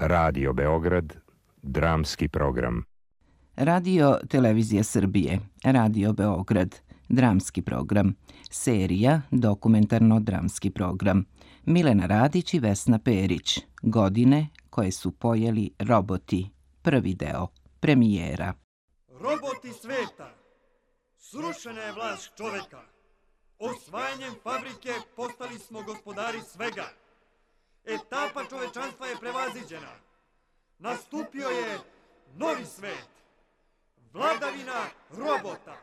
Radio Beograd, dramski program. Radio Televizija Srbije, Radio Beograd, dramski program, serija dokumentarno-dramski program. Milena Radić i Vesna Perić, godine koje su pojeli roboti, prvi deo, premijera. Roboti sveta, srušena je vlast čoveka. Osvajanjem fabrike postali smo gospodari svega. Etapa čovečanstva je prevaziđena. Nastupio je novi svet. Vladavina robota.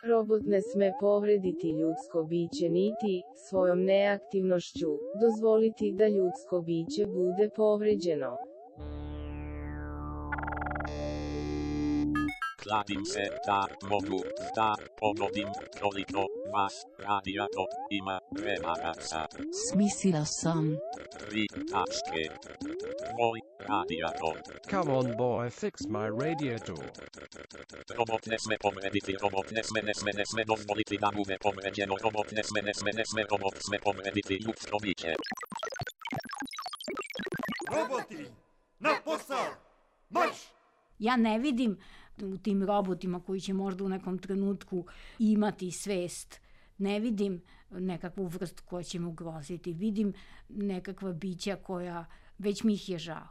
Robot ne sme povrediti ljudsko biće niti, svojom neaktivnošću, dozvoliti da ljudsko biće bude povređeno. Kladim se, tak mogu, da pogodim koliko vas radijator ima remaraca. Smislila sam. 3 tačke. Tvoj radijator. Come on boy, fix my radiator. Robot ne sme povrediti, robot ne sme dozvoliti da bude povređeno, robot ne sme, robot sme povrediti ljudsko biće. Roboti, na posao, marš! Ja ne vidim u tim robotima koji će možda u nekom trenutku imati svest, ne vidim nekakvu vrstu koja će me ugroziti, vidim nekakva bića koja, već mi ih je žao.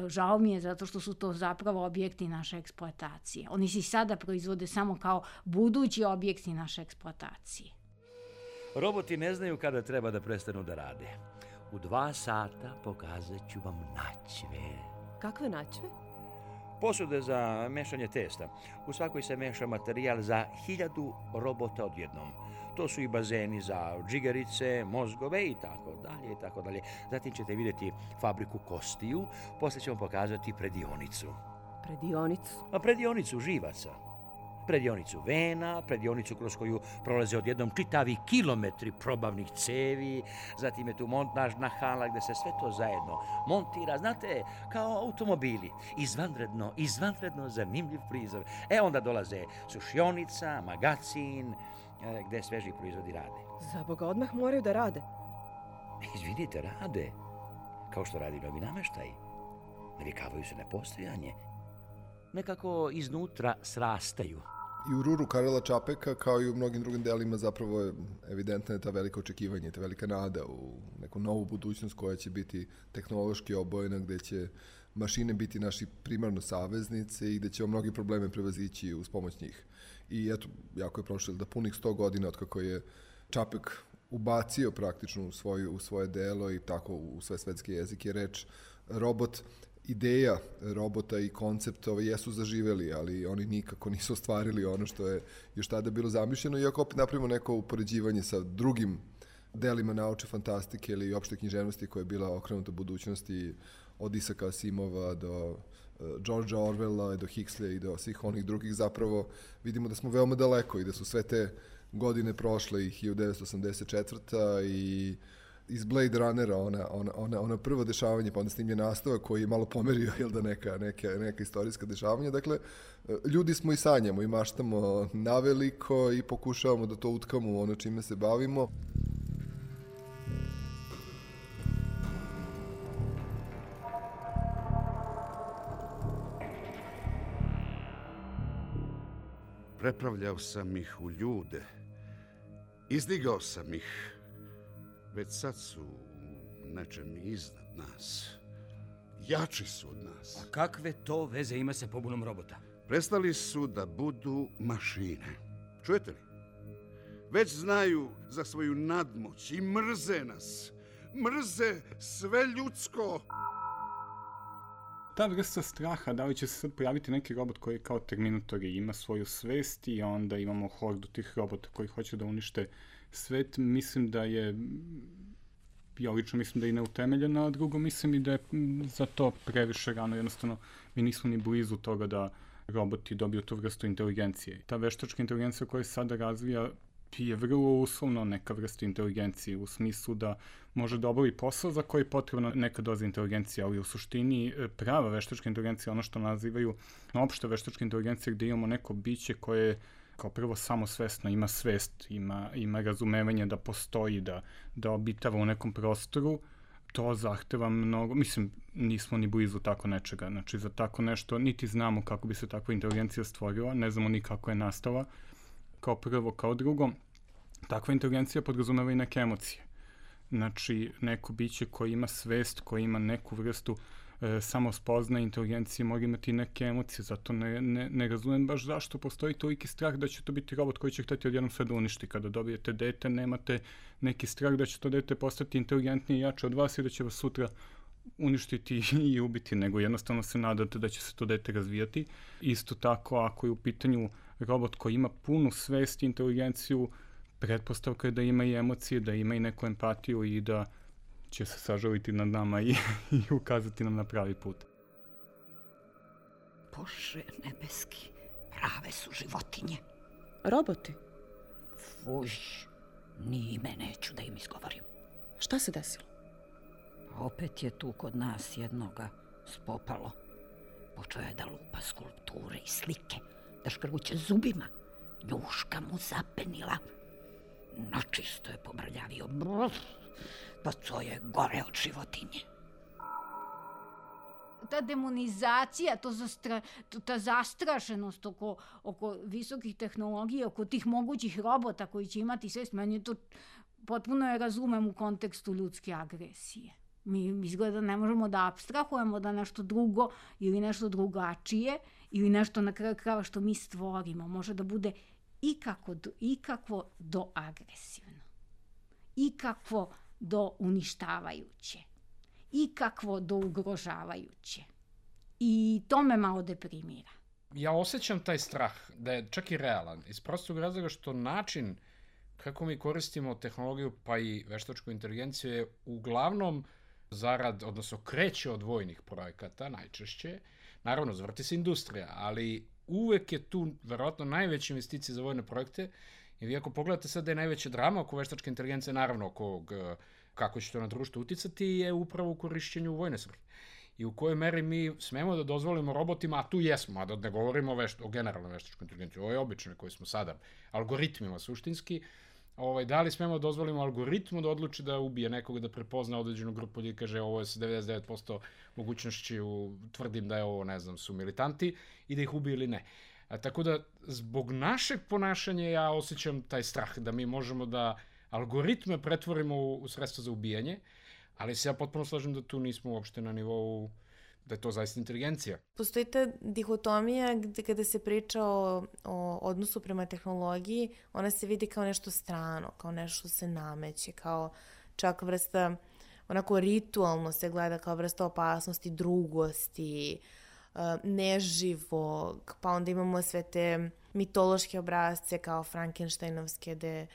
Žao mi je zato što su to zapravo objekti naše eksploatacije. Oni se sada proizvode samo kao budući objekti naše eksploatacije. Roboti ne znaju kada treba da prestanu da rade. U 2 sata pokazat ću vam načve. Kakve načve? Posude za mešanje testa. U svakoj se meša materijal za 1000 robota odjednom. To su i bazeni za džigerice, mozgove i tako dalje i tako dalje. Zatim ćete vidjeti fabriku kostiju, poslije ćemo pokazati predionicu. Predionicu? Predionicu živaca. Predionicu vena, predionicu kroz koju prolaze odjednom čitavi kilometri probavnih cevi, zatim je tu montažna hala gde se sve to zajedno montira, znate, kao automobili. Izvanredno zanimljiv prizor. Onda dolaze sušionica, magacin, gde sveži proizvodi rade. Za Boga, odmah moraju da rade. Izvinite, rade. Kao što radi novi nameštaj. Navikavaju se na postojanje. Nekako iznutra srastaju. I u ruru Karela Čapeka, kao i u mnogim drugim delima, zapravo je evidentna ta velika očekivanja, ta velika nada u neku novu budućnost koja će biti tehnološki obojena, gde će mašine biti naši primarno saveznice i gde ćemo mnogi probleme prevazići uz pomoć njih. I eto, jako je prošlo da punih 100 godina od kako je Čapek ubacio praktično u svoje delo i tako u sve svetske jezike reč robot. Ideja robota i koncept jesu zaživeli, ali oni nikako nisu ostvarili ono što je još tada bilo zamišljeno, iako opet napravimo neko upoređivanje sa drugim delima naučne fantastike ili opšte književnosti koja je bila okrenuta budućnosti od Isaka Asimova do Georgea Orwella, do Huxleya i do svih onih drugih, zapravo vidimo da smo veoma daleko i da su sve te godine prošle i 1984. i iz Blade Runnera, ona prvo dešavanje, pa onda snimljen nastavak koji je malo pomerio, jel da, neka istorijska dešavanja. Dakle, ljudi smo i sanjamo i maštamo naveliko i pokušavamo da to utkamo u ono čime se bavimo. Prepravljao sam ih u ljude. Izdigao sam ih. Već sad su nečem iznad nas. Jači su od nas. A kakve to veze ima sa pobunom robota? Prestali su da budu mašine. Čujete li? Već znaju za svoju nadmoć i mrze nas. Mrze sve ljudsko. Ta vrsta straha, da li će se sad pojaviti neki robot koji kao Terminator ima svoju svest i onda imamo hordu tih robota koji hoće da unište svet, mislim da je, ja lično mislim da je neutemeljena, a drugo mislim i da je za to previše rano, jednostavno mi nismo ni blizu toga da roboti dobiju tu vrstu inteligencije. Ta veštačka inteligencija koja se sada razvija je vrlo uslovno neka vrsta inteligencije, u smislu da može da obavi posao za koji je potrebna neka doza inteligencije, ali u suštini prava veštačka inteligencija, ono što nazivaju opšta veštačka inteligencija, gde imamo neko biće koje kao prvo samosvesno ima svest, ima razumevanje da postoji, da obitava u nekom prostoru, to zahteva mnogo, mislim, nismo ni blizu tako nečega, znači za tako nešto niti znamo kako bi se takva inteligencija stvorila, ne znamo ni kako je nastala, kao prvo, kao drugo, takva inteligencija podrazumeva i neke emocije. Znači, neko biće koje ima svest, koje ima neku vrstu samospoznaje inteligencije, mora imati neke emocije, zato ne razumem baš zašto postoji toliki strah da će to biti robot koji će hteti odjednom sve da uništi. Kada dobijete dete, nemate neki strah da će to dete postati inteligentnije i jače od vas i da će vas sutra uništiti i ubiti, nego jednostavno se nadate da će se to dete razvijati. Isto tako, ako je u pitanju robot koji ima punu svest i inteligenciju, pretpostavka je da ima i emocije, da ima i neku empatiju i da će se sažaliti nad nama i ukazati nam na pravi put. Bože nebeski, prave su životinje. Roboti? Fuj, ni ime neću da im izgovorim. Šta se desilo? Opet je tu kod nas jednoga spopalo. Počeo je da lupa skulpture i slike, da škrguće zubima. Njuška mu zapenila. Načisto je pomrljavio. Pa to je gore od životinje. Ta demonizacija, ta zastrašenost oko visokih tehnologija, oko tih mogućih robota koji će imati svest, meni to potpuno je razumem u kontekstu ljudske agresije. Mi izgleda ne možemo da apstrahujemo da nešto drugo ili nešto drugačije ili nešto na kraju krajeva što mi stvorimo može da bude ikakvo do agresivno, ikakvo do uništavajuće, ikakvo do ugrožavajuće. I to me malo deprimira. Ja osjećam taj strah da je čak i realan, iz prostog razloga što način kako mi koristimo tehnologiju pa i veštačku inteligenciju je uglavnom odnosno kreće od vojnih projekata najčešće. Naravno, zvrti se industrija, ali uvek je tu verovatno najveće investicije za vojne projekte. I vi ako pogledate sad da je najveća drama oko veštačke inteligencije, naravno oko kako će to na društvo uticati, je upravo u korišćenju vojne svrhe. I u kojoj meri mi smemo da dozvolimo robotima, a tu jesmo, a da ne govorimo o generalnoj veštačkoj inteligenciji, ovo je obično koji smo sada, algoritmima suštinski, da li smemo da dozvolimo algoritmu da odluči da ubije nekoga, da prepozna određenu grupu ljudi, kaže ovo je sa 99% mogućnošću, tvrdim da je ovo, ne znam, su militanti i da ih ubije ili ne. Tako da, zbog našeg ponašanja ja osjećam taj strah da mi možemo da algoritme pretvorimo u sredstvo za ubijanje, ali se ja potpuno slažem da tu nismo uopšte na nivou da je to zaista inteligencija. Postoji ta dihotomija gde kada se priča o odnosu prema tehnologiji, ona se vidi kao nešto strano, kao nešto se nameće, kao čak vrsta, onako ritualno se gleda kao vrsta opasnosti, drugosti, neživog, pa onda imamo sve te mitološke obrazce kao Frankensteinovske, gde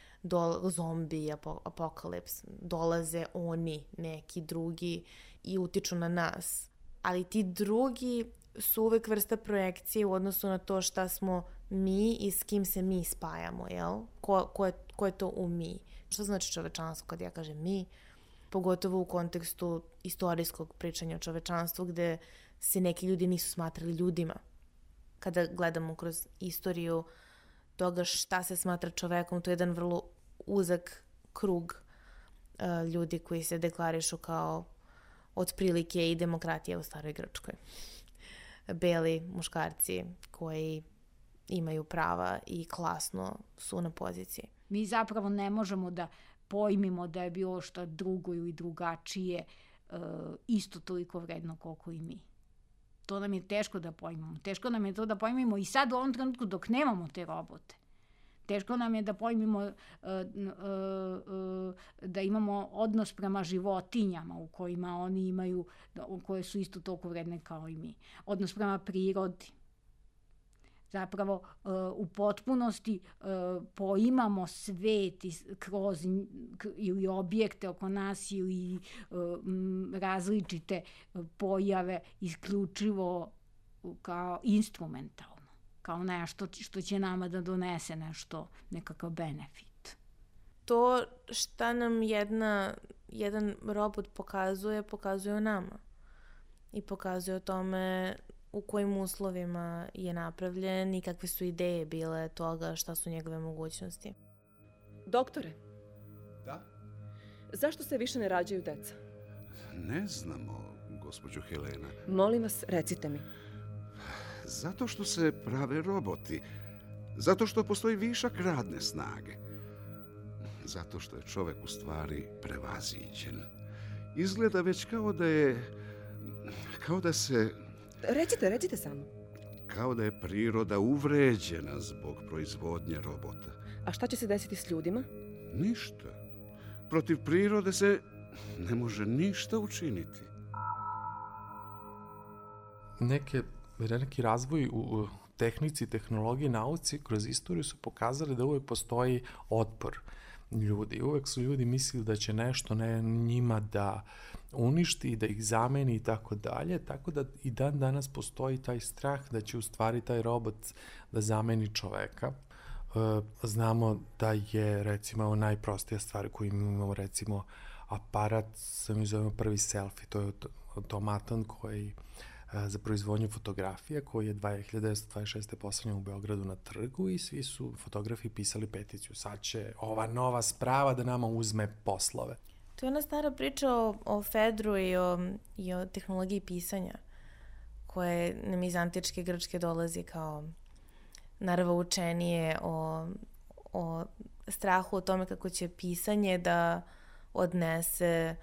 zombi, apokalips, dolaze oni, neki drugi i utiču na nas. Ali ti drugi su uvek vrsta projekcije u odnosu na to šta smo mi i s kim se mi spajamo, jel? Ko je to u mi? Što znači čovečanstvo kad ja kažem mi? Pogotovo u kontekstu istorijskog pričanja o čovečanstvu gde se neki ljudi nisu smatrali ljudima. Kada gledamo kroz istoriju toga šta se smatra čovekom, to je jedan vrlo uzak krug ljudi koji se deklarišu kao otprilike i demokratija u staroj Grčkoj. Beli muškarci koji imaju prava i klasno su na poziciji. Mi zapravo ne možemo da pojmimo da je bilo šta drugo ili drugačije isto toliko vredno koliko i mi. To nam je teško da pojmimo. Teško nam je to da pojmimo i sad u ovom trenutku dok nemamo te robote. Teško nam je da pojmimo da imamo odnos prema životinjama u kojima oni imaju, koje su isto toliko vredne kao i mi. Odnos prema prirodi. Zapravo u potpunosti poimamo svet kroz ili objekte oko nas ili različite pojave isključivo kao instrumentalno. Kao nešto što će nama da donese nešto, nekakav benefit. to šta nam jedan robot pokazuje o nama. I pokazuje o tome u kojim uslovima je napravljen i kakve su ideje bile toga, šta su njegove mogućnosti. Doktore. Da? Zašto se više ne rađaju deca? Ne znamo, gospođo Helena. Molim vas, recite mi. Zato što se prave roboti. Zato što postoji višak radne snage. Zato što je čovek u stvari prevaziđen. Izgleda već kao da se... Recite samo. Kao da je priroda uvređena zbog proizvodnje robota. A šta će se desiti s ljudima? Ništa. Protiv prirode se ne može ništa učiniti. Neki razvoj u tehnici, tehnologiji, nauci kroz istoriju su pokazali da uvek postoji otpor ljudi. Uvek su ljudi mislili da će nešto njima da uništi, da ih zameni i tako dalje, tako da i dan danas postoji taj strah da će u stvari taj robot da zameni čoveka. Znamo da je, recimo, najprostija stvar koju imamo, recimo, aparat, mi zovemo prvi selfie, to je automatan koji za proizvodnju fotografija, koji je 1926. poslednja u Beogradu na trgu i svi su fotografi pisali peticiju. Sad će ova nova sprava da nama uzme poslove. To je ona stara priča o Fedru i o tehnologiji pisanja, koje nam iz antičke Grčke dolazi kao naravoučenije o strahu o tome kako će pisanje da odnese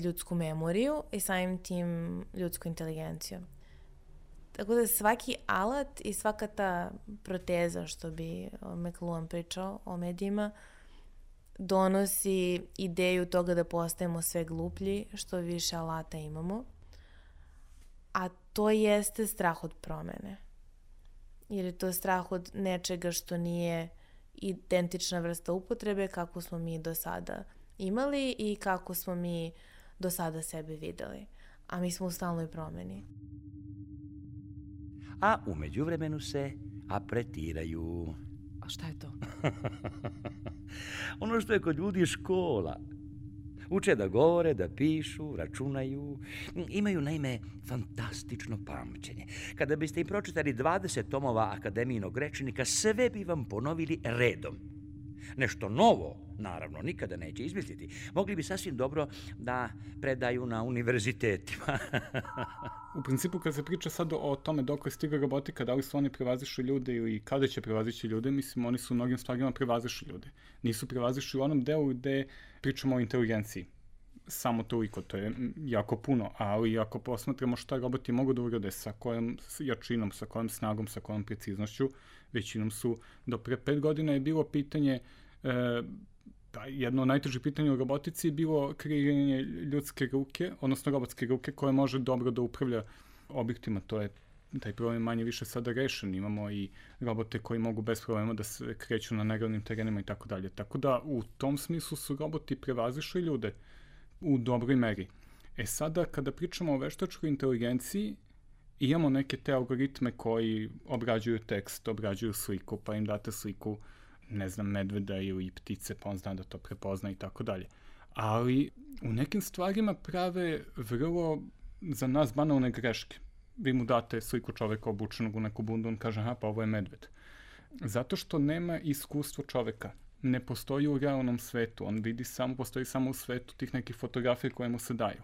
ljudsku memoriju i samim tim ljudsku inteligenciju. Tako da svaki alat i svaka ta proteza, što bi McLuhan pričao o medijima, donosi ideju toga da postajemo sve gluplji, što više alata imamo. A to jeste strah od promene. Jer je to strah od nečega što nije identična vrsta upotrebe kako smo mi do sada imali i kako smo mi do sada sebe videli. A mi smo u stalnoj promeni. A u međuvremenu se apretiraju. A šta je to? Ono što je kod ljudi škola. Uče da govore, da pišu, računaju. Imaju, naime, fantastično pamćenje. Kada biste im pročitali 20 tomova akademijinog rečnika, sve bi vam ponovili redom. Nešto novo, naravno, nikada neće izmisliti. Mogli bi sasvim dobro da predaju na univerzitetima. U principu, kad se priča sad o tome dok je stigla robotika, da li su oni prevazišli ljude i kada će prevazići ljude, mislim, oni su u mnogim stvarima prevazišli ljude. Nisu prevazišli u onom delu gde pričamo o inteligenciji. Samo toliko, to je jako puno, ali ako posmatramo šta roboti mogu da urade, sa kojom jačinom, sa kojom snagom, sa kojom preciznošću, većinom su, do pre 5 godina je bilo pitanje, jedno od najtežih pitanja u robotici je bilo kreiranje ljudske ruke, odnosno robotske ruke koja može dobro da upravlja objektima. Taj problem manje više sada rešen. Imamo i robote koji mogu bez problema da se kreću na neravnim terenima i tako dalje. Tako da u tom smislu su roboti prevazišli ljude u dobroj meri. Sada kada pričamo o veštačkoj inteligenciji, imamo neke te algoritme koji obrađuju tekst, obrađuju sliku, pa im date sliku, ne znam, medveda ili ptice, pa on zna da to prepozna i tako dalje. Ali u nekim stvarima prave vrlo za nas banalne greške. Vi mu date sliku čoveka obučenog u neku bundu, on kaže, aha, pa ovo je medved. Zato što nema iskustvo čoveka. Ne postoji u realnom svetu. On vidi postoji samo u svetu tih nekih fotografija koje mu se daju.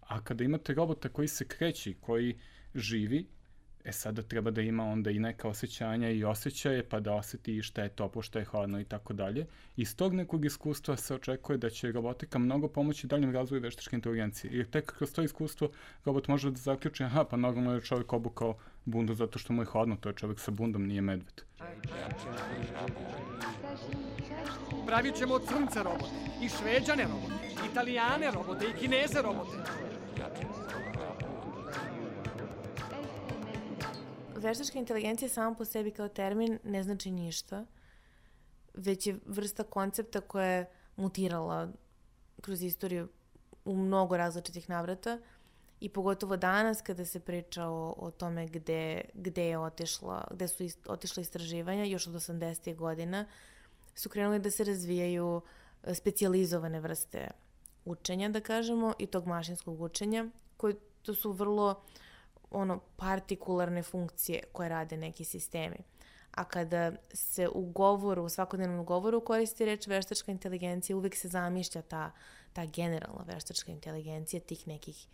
A kada imate robota koji se kreće, koji živi, sada treba da ima onda i neka osjećanja i osjećaje, pa da osjeti šta je toplo, šta je hladno i tako dalje. Iz tog nekog iskustva se očekuje da će robotika mnogo pomoći daljem razvoju veštačke inteligencije. Jer tek kroz to iskustvo robot može da zaključi, aha, pa normalno je čovjek obukao bundu zato što mu je hladno, to je čovjek sa bundom, nije medved. Pravit ćemo od crnca robote, i šveđane robote, italijane robote, i kineze robote. Veštačka inteligencija sama po sebi kao termin ne znači ništa, već je vrsta koncepta koja je mutirala kroz istoriju u mnogo različitih navrata i pogotovo danas kada se priča o tome gde su otišla istraživanja, još od 80. godina su krenuli da se razvijaju specijalizovane vrste učenja, da kažemo, i tog mašinskog učenja, koji to su vrlo partikularne funkcije koje rade neki sistemi. A kada se u govoru, u svakodnevnom govoru koristi reč veštačka inteligencija, uvek se zamišlja ta generalna veštačka inteligencija tih nekih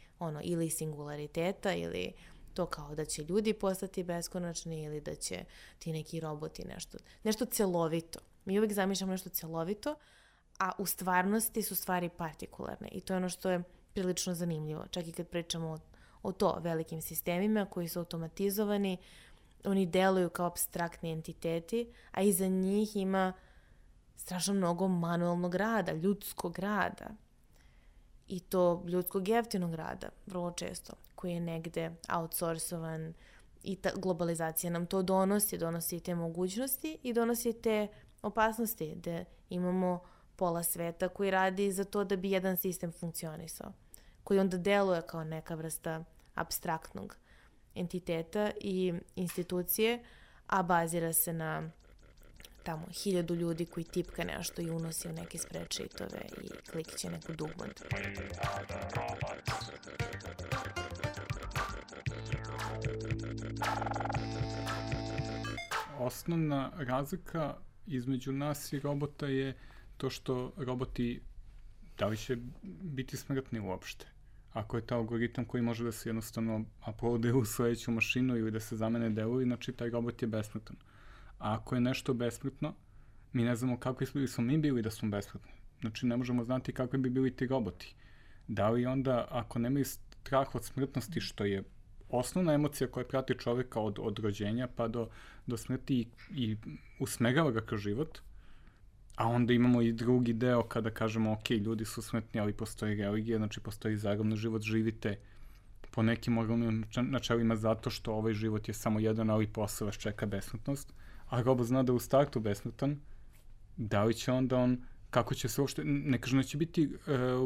ili singulariteta ili to kao da će ljudi postati beskonačni ili da će ti neki roboti nešto celovito. Mi uvek zamišljamo nešto celovito, a u stvarnosti su stvari partikularne i to je ono što je prilično zanimljivo. Čak i kad pričamo o to velikim sistemima koji su automatizovani, oni deluju kao apstraktni entiteti, a iza njih ima strašno mnogo manualnog rada, ljudskog rada. I to ljudskog jeftinog rada, vrlo često, koji je negde outsourcovan i ta globalizacija nam to donosi te mogućnosti i donosi te opasnosti, da imamo pola sveta koji radi za to da bi jedan sistem funkcionisao, koji onda deluje kao neka vrsta apstraktnog entiteta i institucije, a bazira se na tamo 1000 ljudi koji tipka nešto i unosi u neke spreadsheetove i klikće neku dugmad. Osnovna razlika između nas i robota je to što roboti, da li će biti smrtni uopšte? Ako je ta algoritam koji može da se jednostavno uploaduje u sledeću mašinu ili da se zamene delovi, znači taj robot je besmrtan. A ako je nešto besmrtno, mi ne znamo kakvi smo mi bili da smo besmrtni. Znači ne možemo znati kakvi bi bili ti roboti. Da li onda, ako nemaju strah od smrtnosti, što je osnovna emocija koja prati čoveka od rođenja pa do smrti i usmerava ga kroz život, a onda imamo i drugi deo kada kažemo ok, ljudi su smrtni, ali postoji religija, znači postoji zagrobni život, živite po nekim moralnim načelima zato što ovaj život je samo jedan, ali posle vas čeka besmrtnost, a robot zna da je u startu besmrtan, da li će onda on, kako će se uopšte, ne kažem da će biti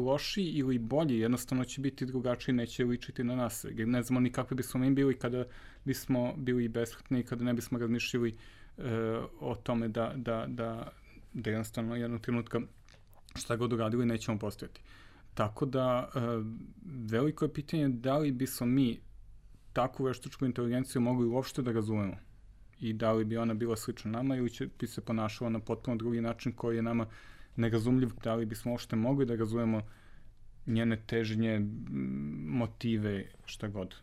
lošiji ili bolji, jednostavno će biti drugačiji, neće ličiti na nas, jer ne znamo ni kakvi bismo mi bili kada bismo bili besmrtni i kada ne bismo razmišljali o tome da jednostavno jednog trenutka šta god uradili nećemo postojati. Tako da veliko je pitanje da li bismo mi takvu veštačku inteligenciju mogli uopšte da razumemo i da li bi ona bila slična nama ili bi se ponašala na potpuno drugi način koji je nama nerazumljiv, da li bismo uopšte mogli da razumemo njene težnje, motive, šta god.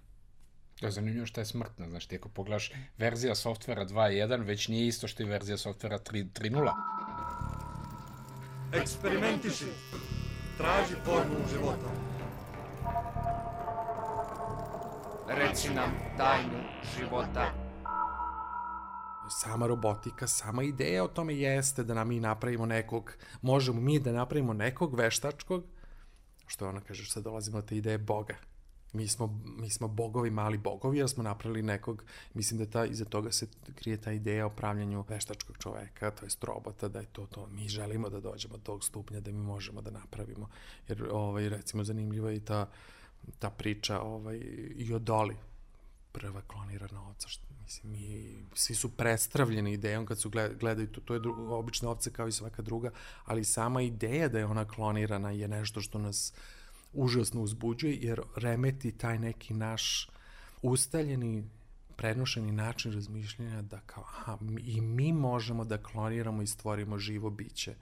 To je zanimljivo što je smrtna, znaš, ti ako pogledaš verzija softvera 2.1, već nije isto što je verzija softvera 3.0. Eksperimentiši, traži formulu života. Reci nam tajnu života. Sama robotika, sama ideja o tome jeste da mi napravimo možemo mi da napravimo nekog veštačkog, što ona kaže, sad dolazimo do te ideje Boga. Mi smo bogovi, mali bogovi, jer smo napravili nekog, mislim da iza toga se krije ta ideja o pravljanju veštačkog čoveka, to jest robota, da je to. Mi želimo da dođemo do tog stupnja da mi možemo da napravimo. Jer, recimo, zanimljiva je i ta priča i o Doli, prva klonirana ovca, mislim, svi su prestravljeni idejom kad su gledaju to je obična ovca kao i svaka druga, ali sama ideja da je ona klonirana je nešto što nas užasno uzbuđuje, jer remeti taj neki naš ustaljeni, prenošeni način razmišljanja da kao, i mi možemo da kloniramo i stvorimo živo biće.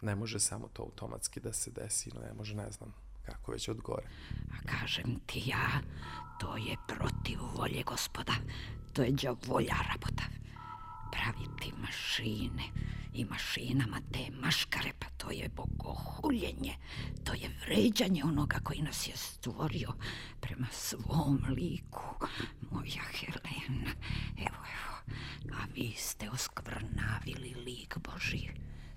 Ne može samo to automatski da se desi, ne može, ne znam kako već od gore. A kažem ti ja, to je protiv volje Gospoda, to je đavolja rabota. Praviti mašine i mašinama te maškare, pa to je bogohuljenje, to je vređanje onoga koji nas je stvorio prema svom liku, moja Helena. Evo, a vi ste oskvrnavili lik Božji.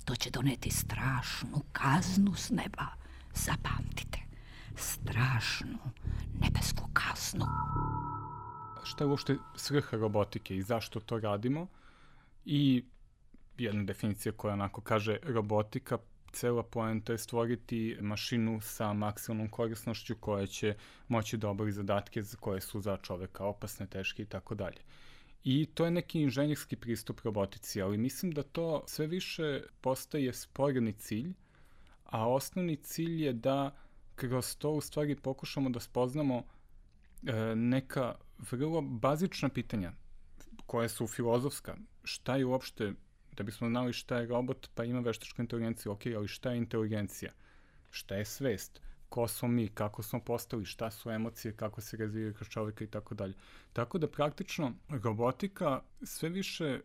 To će doneti strašnu kaznu s neba. Zapamtite, strašnu nebesku kaznu. Šta je uopšte svrha robotike i zašto to radimo? I jedna definicija koja onako kaže robotika, cela poenta je stvoriti mašinu sa maksimalnom korisnošću koja će moći da obavi zadatke koje su za čoveka opasne, teške i tako dalje. I to je neki inženjerski pristup robotici, ali mislim da to sve više postaje sporedni cilj, a osnovni cilj je da kroz to u stvari pokušamo da spoznamo neka vrlo bazična pitanja koje su filozofska. Šta je uopšte, da bismo znali šta je robot, pa ima veštačku inteligenciju, ok, ali šta je inteligencija? Šta je svest? Ko smo mi, kako smo postali, šta su emocije, kako se razvijaju kroz čovjeka i tako dalje. Tako da praktično robotika sve više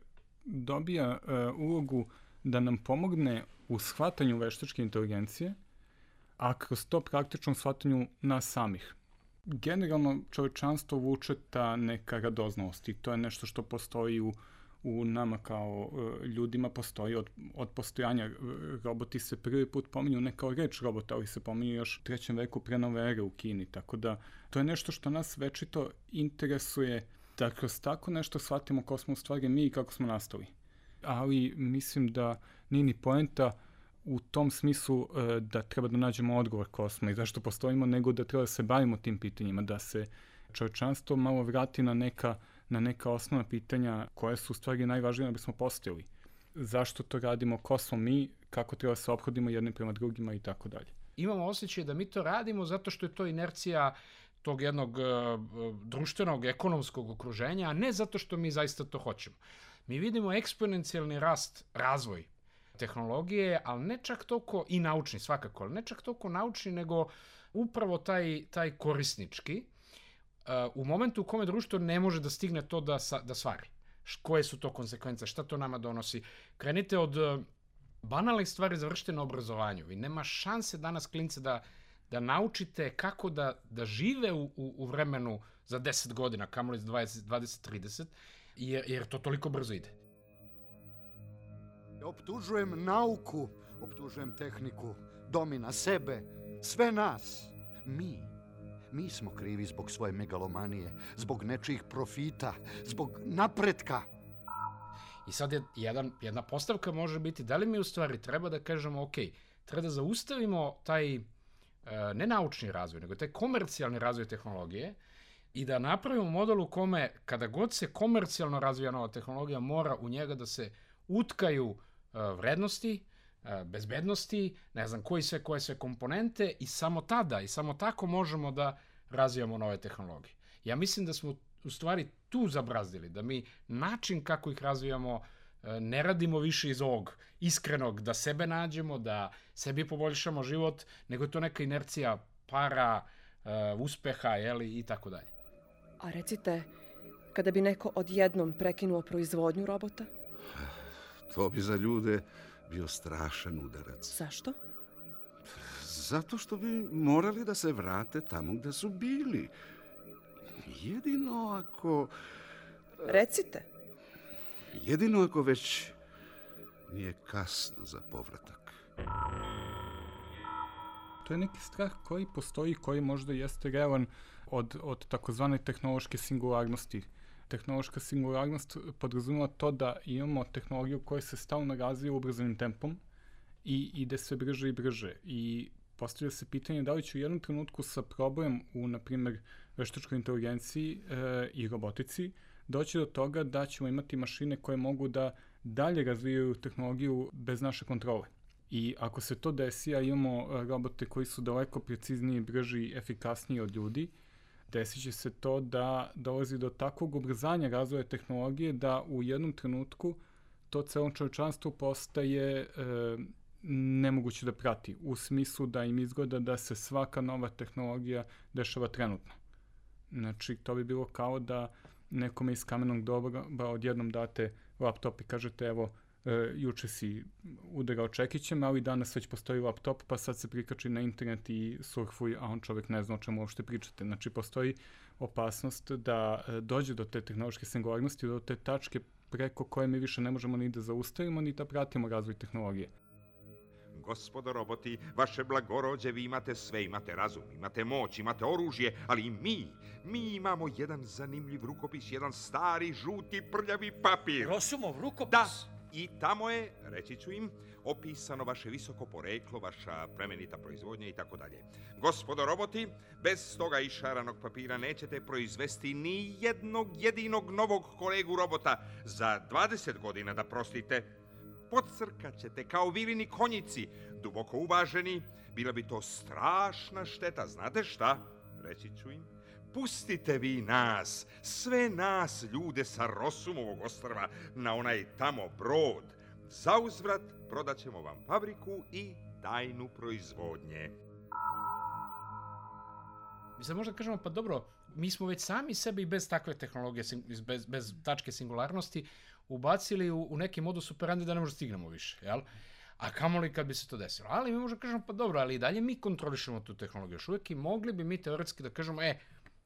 dobija ulogu da nam pomogne u shvatanju veštačke inteligencije, a kroz to praktičnom shvatanju nas samih. Generalno čovječanstvo vuče ta neka radoznalost i to je nešto što postoji u nama kao ljudima, postoji od postojanja. Roboti se prvi put pominju ne kao reč robota, ali se pominju još u 3. veku pre nove ere u Kini, tako da to je nešto što nas večito interesuje da kroz tako nešto shvatimo ko smo u stvari mi i kako smo nastali. Ali mislim da nije ni poenta u tom smislu da treba da nađemo odgovor ko smo i zašto postojimo, nego da treba da se bavimo tim pitanjima, da se čovječanstvo malo vrati na neka osnovna pitanja koje su u stvari najvažnije da bismo postojali. Zašto to radimo, ko smo mi, kako treba da se ophodimo jednim prema drugima i tako dalje. Imamo osjećaj da mi to radimo zato što je to inercija tog jednog društvenog, ekonomskog okruženja, a ne zato što mi zaista to hoćemo. Mi vidimo eksponencijalni razvoj tehnologije, ali ne čak toliko i naučni svakako, ali ne čak toliko naučni, nego upravo taj korisnički, u momentu u kome društvo ne može da stigne to da stvari. Koje su to konsekvence, šta to nama donosi. Krenite od banalnih stvari, završite na obrazovanju. Vi nema šanse danas, klince, da naučite kako da žive u vremenu za 10 godina, kamoli za 20-30, jer to toliko brzo ide. Optužujem nauku, optužujem tehniku, domina, sebe, sve nas. Mi smo krivi zbog svoje megalomanije, zbog nečijih profita, zbog napretka. I sad jedna postavka može biti da li mi u stvari treba da kažemo ok, treba da zaustavimo taj ne naučni razvoj, nego taj komercijalni razvoj tehnologije i da napravimo model u kome kada god se komercijalno razvija nova tehnologija mora u njega da se utkaju vrednosti, bezbednosti, ne znam koje sve komponente i samo tada i samo tako možemo da razvijamo nove tehnologije. Ja mislim da smo u stvari tu zabrazdili, da mi način kako ih razvijamo ne radimo više iz ovog iskrenog da sebe nađemo, da sebi poboljšamo život, nego je to neka inercija para, uspeha i tako dalje. A recite, kada bi neko odjednom prekinuo proizvodnju robota? To bi za ljude bio strašan udarac. Zašto? Zato što bi morali da se vrate tamo gde su bili. Jedino ako... Recite. Jedino ako već nije kasno za povratak. To je neki strah koji postoji, koji možda jeste realan od takozvane tehnološke singularnosti. Tehnološka singularnost podrazumeva to da imamo tehnologiju koja se stalno razvija ubrzanim tempom i ide sve brže i brže. I postavlja se pitanje da li će u jednom trenutku sa problemom u, na primjer, veštačkoj inteligenciji i robotici doći do toga da ćemo imati mašine koje mogu da dalje razvijaju tehnologiju bez naše kontrole. I ako se to desi, a imamo robote koji su daleko precizniji, brži i efikasniji od ljudi, desit će se to da dolazi do takvog ubrzanja razvoja tehnologije da u jednom trenutku to celom čovječanstvu postaje nemoguće da prati, u smislu da im izgleda da se svaka nova tehnologija dešava trenutno. Znači, to bi bilo kao da nekome iz kamenog doba odjednom date laptop i kažete evo, juče si udarao čekićem, ali danas već postoji laptop, pa sad se prikači na internet i surfuj, a on čovjek ne zna o čemu uopšte pričate. Znači, postoji opasnost da dođe do te tehnološke singularnosti, do te tačke preko koje mi više ne možemo ni da zaustavimo, ni da pratimo razvoj tehnologije. Gospodo roboti, vaše blagorođe, vi imate sve, imate razum, imate moć, imate oružje, ali i mi imamo jedan zanimljiv rukopis, jedan stari, žuti, prljavi papir. Rosumov rukopis? Da, i tamo je, reći ću im, opisano vaše visoko poreklo, vaša plemenita proizvodnja i tako dalje. Gospodo roboti, bez toga išaranog papira nećete proizvesti ni jednog jedinog novog kolegu robota za 20 godina, da prostite. Pocrkaćete kao vilini konjici, duboko uvaženi, bila bi to strašna šteta. Znate šta? Reći ću im. Pustite vi nas, sve nas ljude sa Rosumovog ostrva na onaj tamo brod. Zauzvrat prodat ćemo vam fabriku i tajnu proizvodnje. Mi sad možda kažemo, pa dobro, mi smo već sami sebi i bez takve tehnologije, bez tačke singularnosti, ubacili u neki modus operandi da ne možda stignemo više, jel? A kamoli kad bi se to desilo. Ali mi možda kažemo, pa dobro, ali i dalje mi kontrolišemo tu tehnologiju. Još uvijek i mogli bi mi teoretski da kažemo,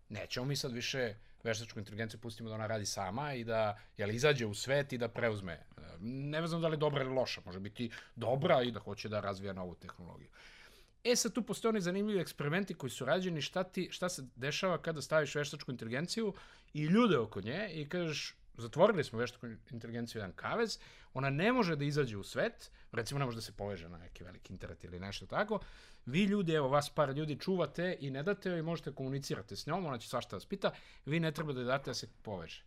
nećemo mi sad više veštačku inteligenciju pustimo da ona radi sama i da izađe u svet i da preuzme. Ne znam da li je dobra ili loša, može biti dobra i da hoće da razvija novu tehnologiju. Sad tu postoje oni zanimljivi eksperimenti koji su rađeni, šta se dešava kada staviš veštačku inteligenciju i ljude oko nje i kažeš, zatvorili smo veštačku inteligenciju jedan kavez, ona ne može da izađe u svet, recimo ne može da se poveže na neki veliki internet ili nešto tako, vi ljudi, evo vas par ljudi čuvate i ne date joj i možete komunicirati s njom, ona će svašta vas pita, vi ne treba da je date da se poveže.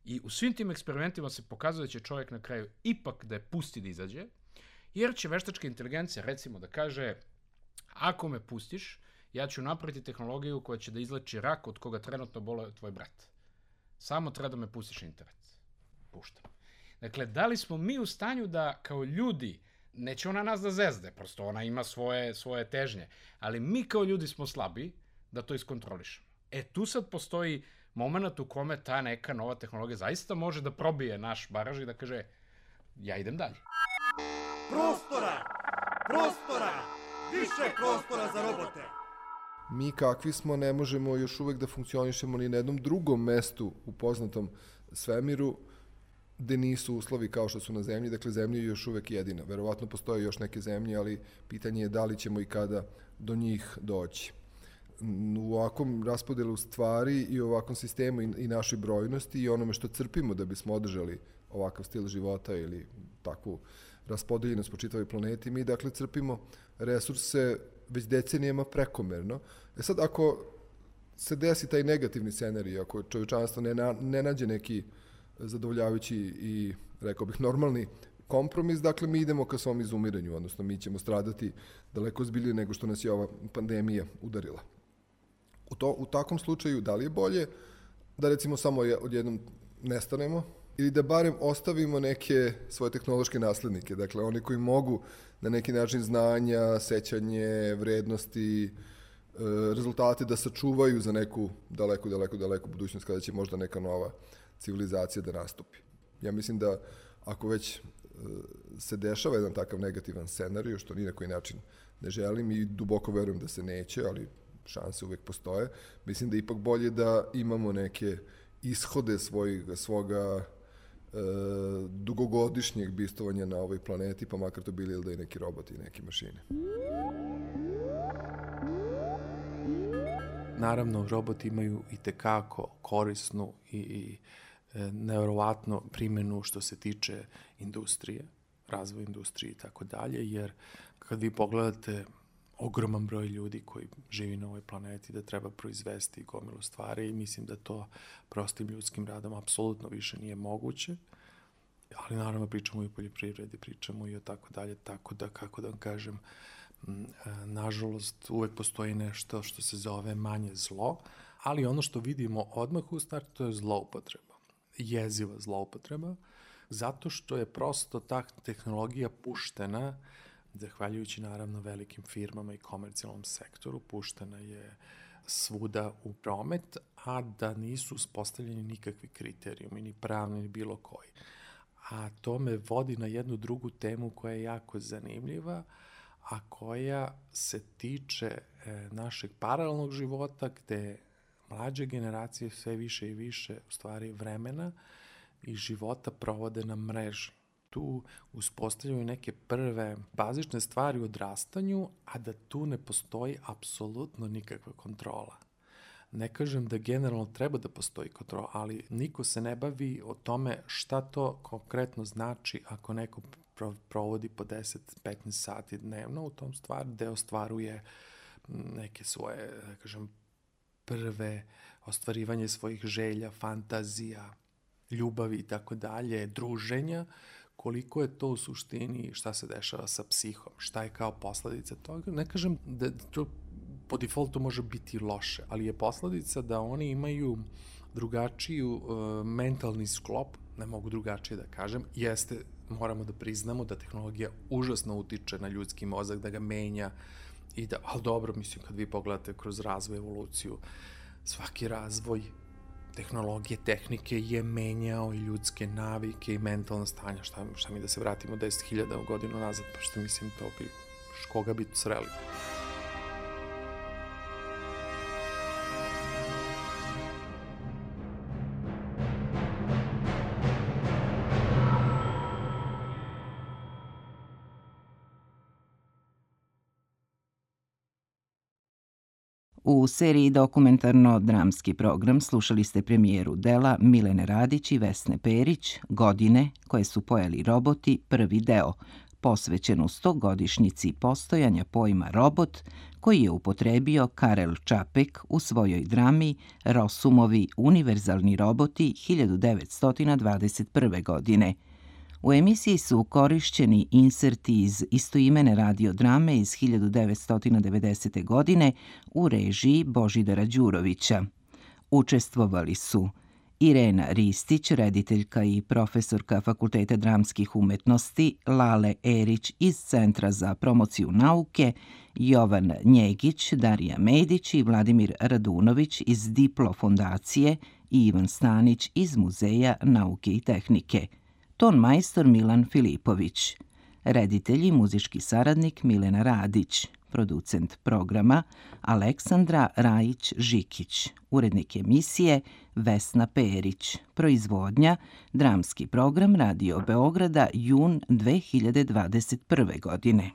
I u svim tim eksperimentima se pokazuje da će čovjek na kraju ipak da je pusti da izađe, jer će veštačka inteligencija recimo da kaže, ako me pustiš, ja ću napraviti tehnologiju koja će da izleči rak od koga trenutno boluje tvoj brat. Samo treba da me pustiš na internet. Puštam. Dakle, da li smo mi u stanju da kao ljudi, neće ona nas da zezde, prosto ona ima svoje težnje, ali mi kao ljudi smo slabi da to iskontrolišemo. Tu sad postoji moment u kome ta neka nova tehnologija zaista može da probije naš baraž i da kaže, ja idem dalje. Prostora! Više prostora za robote! Mi kakvi smo ne možemo još uvek da funkcionišemo ni na jednom drugom mestu u poznatom svemiru gde nisu uslovi kao što su na zemlji, dakle zemlja je još uvek jedina. Verovatno postoje još neke zemlje, ali pitanje je da li ćemo i kada do njih doći. U ovakvom raspodelu stvari i u ovakvom sistemu i našoj brojnosti i onome što crpimo da bismo održali ovakav stil života ili takvu raspodeljenost po čitavoj planeti, mi dakle crpimo resurse već decenijama prekomerno. Sad, ako se desi taj negativni scenarij, ako čovječanstvo ne nađe neki zadovoljavajući i, rekao bih, normalni kompromis, dakle, mi idemo ka svom izumiranju, odnosno mi ćemo stradati daleko ozbiljnije nego što nas je ova pandemija udarila. U takvom slučaju, da li je bolje da, recimo, samo odjednom nestanemo ili da barem ostavimo neke svoje tehnološke naslednike, dakle, oni koji mogu na neki način znanja, sećanje, vrednosti, rezultate da sačuvaju za neku daleko budućnost kada će možda neka nova civilizacija da nastupi. Ja mislim da ako već se dešava jedan takav negativan scenarij, što ni na koji način ne želim i duboko verujem da se neće, ali šanse uvek postoje, mislim da je ipak bolje da imamo neke ishode svoga dugogodišnjeg bistovanja na ovoj planeti, pa makar to bili ili da i neki roboti i neke mašine. Naravno, roboti imaju i tekako korisnu i nevjerovatno primjenu što se tiče industrije, razvoja industrije i tako dalje, jer kad vi pogledate ogroman broj ljudi koji živi na ovoj planeti, da treba proizvesti gomilu stvari i mislim da to prostim ljudskim radom apsolutno više nije moguće, ali naravno pričamo i o poljoprivredi, pričamo i o tako dalje, tako da, kako da vam kažem, nažalost uvek postoji nešto što se zove manje zlo, ali ono što vidimo odmah u startu to je zloupotreba, jeziva zloupotreba, zato što je prosto ta tehnologija puštena, zahvaljujući naravno velikim firmama i komercijalnom sektoru, puštena je svuda u promet, a da nisu uspostavljeni nikakvi kriterijumi, ni pravni, ni bilo koji. A to me vodi na jednu drugu temu koja je jako zanimljiva, a koja se tiče našeg paralelnog života, gde mlađe generacije sve više i više u stvari vremena i života provode na mreži. Tu uspostavljaju neke prve bazične stvari u odrastanju, a da tu ne postoji apsolutno nikakva kontrola. Ne kažem da generalno treba da postoji kontrola, ali niko se ne bavi o tome šta to konkretno znači ako neko provodi po 10-15 sati dnevno u tom stvari, gde ostvaruje neke svoje, da kažem, prve ostvarivanje svojih želja, fantazija, ljubavi i tako dalje, druženja, koliko je to u suštini, šta se dešava sa psihom, šta je kao posledica toga. Ne kažem da to po defaultu može biti loše, ali je posledica da oni imaju drugačiju mentalni sklop, ne mogu drugačije da kažem, jeste, moramo da priznamo da tehnologija užasno utiče na ljudski mozak, da ga menja i da, ali dobro, mislim, kad vi pogledate kroz razvoj, evoluciju, svaki razvoj tehnologije, tehnike je menjao i ljudske navike i mentalna stanja. Šta mi da se vratimo 10.000 godinu nazad, pa što mislim to bi, koga bi sreli? U seriji dokumentarno-dramski program slušali ste premijeru dela Milene Radić i Vesne Perić, Godine koje su pojeli roboti, prvi deo, posvećen u 100-godišnjici postojanja pojma robot, koji je upotrebio Karel Čapek u svojoj drami Rosumovi univerzalni roboti 1921. godine. U emisiji su korišćeni inserti iz istoimene radiodrame iz 1990. godine u režiji Božidara Đurovića. Učestvovali su Irena Ristić, rediteljka i profesorka Fakulteta dramskih umetnosti, Lale Erić iz Centra za promociju nauke, Jovan Njegić, Darija Medić i Vladimir Radunović iz Diplo fondacije i Ivan Stanić iz Muzeja nauke i tehnike. Ton majstor Milan Filipović, reditelj i muzički saradnik Milena Radić, producent programa Aleksandra Rajić-Žikić, urednik emisije Vesna Perić, proizvodnja Dramski program Radio Beograda, jun 2021. godine.